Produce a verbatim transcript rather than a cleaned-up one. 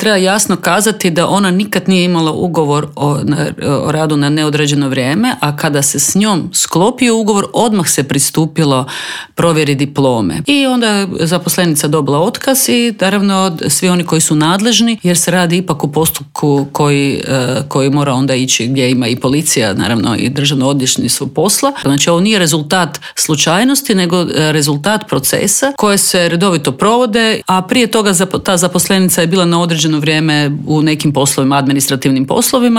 treba jasno kazati da ona nikad nije imala ugovor o, o radu na neodređeno vrijeme, a kada se s njom sklopio ugovor, odmah se pristupilo provjeri diplome. I onda je zaposlenica dobila otkaz i naravno svi oni koji su nadležni, jer se radi ipak u postupku koji, koji mora onda ići gdje ima i policija, naravno i državno odvjetništvo posla. Znači ovo nije rezultat slučajnosti, nego rezultat procesa koje se redovito provode, a prije toga ta zaposlenica je bila na određeno vrijeme u nekim poslovima, administrativnim poslovima